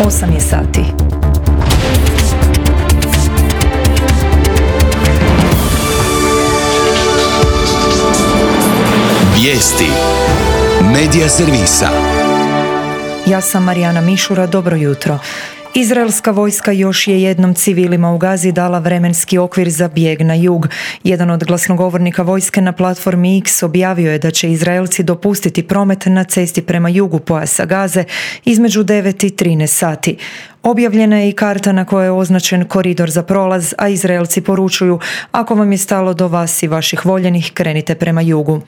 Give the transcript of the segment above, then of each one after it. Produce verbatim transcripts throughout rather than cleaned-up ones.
osam je sati. Vijesti Medija servisa. Ja sam Marijana Mišura, dobro jutro. Izraelska vojska još je jednom civilima u Gazi dala vremenski okvir za bijeg na jug. Jedan od glasnogovornika vojske na platformi X objavio je da će Izraelci dopustiti promet na cesti prema jugu pojasa Gaze između devet i trinaest sati. Objavljena je i karta na kojoj je označen koridor za prolaz, a Izraelci poručuju: ako vam je stalo do vas i vaših voljenih, krenite prema jugu.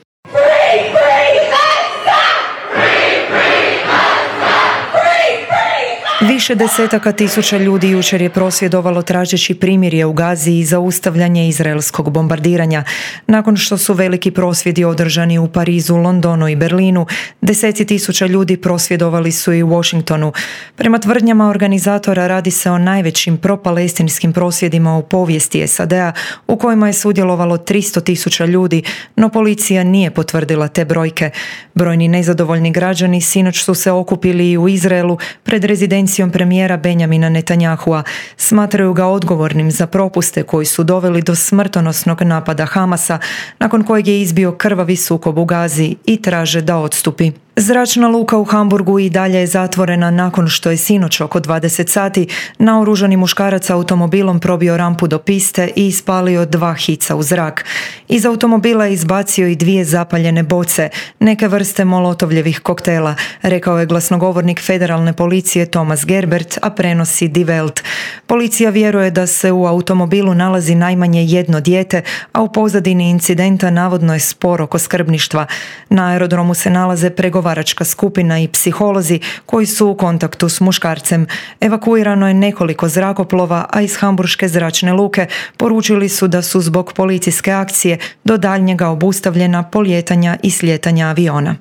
Više desetaka tisuća ljudi jučer je prosvjedovalo tražeći primirje u Gazi i zaustavljanje izraelskog bombardiranja. Nakon što su veliki prosvjedi održani u Parizu, Londonu i Berlinu, deseci tisuća ljudi prosvjedovali su i u Washingtonu. Prema tvrdnjama organizatora radi se o najvećim propalestinskim prosvjedima u povijesti S A D-a, u kojima je sudjelovalo tristo tisuća ljudi, no policija nije potvrdila te brojke. Brojni nezadovoljni građani sinoć su se okupili i u Izraelu pred rezidencijom premijera Benjamina Netanyahua. Smatraju ga odgovornim za propuste koji su doveli do smrtonosnog napada Hamasa, nakon kojeg je izbio krvavi sukob u Gazi, i traže da odstupi. Zračna luka u Hamburgu i dalje je zatvorena nakon što je sinoć oko dvadeset sati naoružani muškarac automobilom probio rampu do piste i ispalio dva hica u zrak. Iz automobila je izbacio i dvije zapaljene boce, neke vrste molotovljevih koktela, rekao je glasnogovornik federalne policije Thomas Gerbert, a prenosi Die Welt. Policija vjeruje da se u automobilu nalazi najmanje jedno dijete, a u pozadini incidenta navodno je spor oko skrbništva. Na aerodromu se nalaze pregovaračka skupina i psiholozi koji su u kontaktu s muškarcem. Evakuirano je nekoliko zrakoplova, a iz hamburške zračne luke poručili su da su zbog policijske akcije do daljnjega obustavljena polijetanja i slijetanja aviona.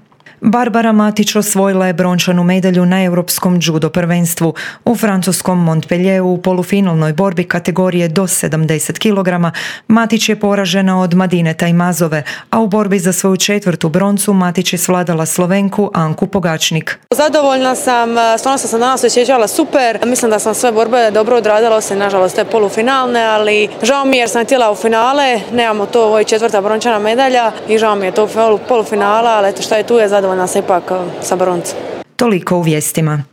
Barbara Matić osvojila je brončanu medalju na europskom judo prvenstvu. U francuskom Montpellieru u polufinalnoj borbi kategorije do sedamdeset kilograma Matić je poražena od Madine Tajmazove, a u borbi za svoju četvrtu broncu Matić je svladala Slovenku Anku Pogačnik. Zadovoljna sam, stvarno sam se danas osjećala super. Mislim da sam sve borbe dobro odradila, osim nažalost te polufinalne, ali žao mi jer sam htjela u finale. Nemamo to, ovo je četvrta brončana medalja i žao mi je to polufinala, ali eto šta je tu je zadovoljna. Nas ipak sa broncem. Toliko u vijestima.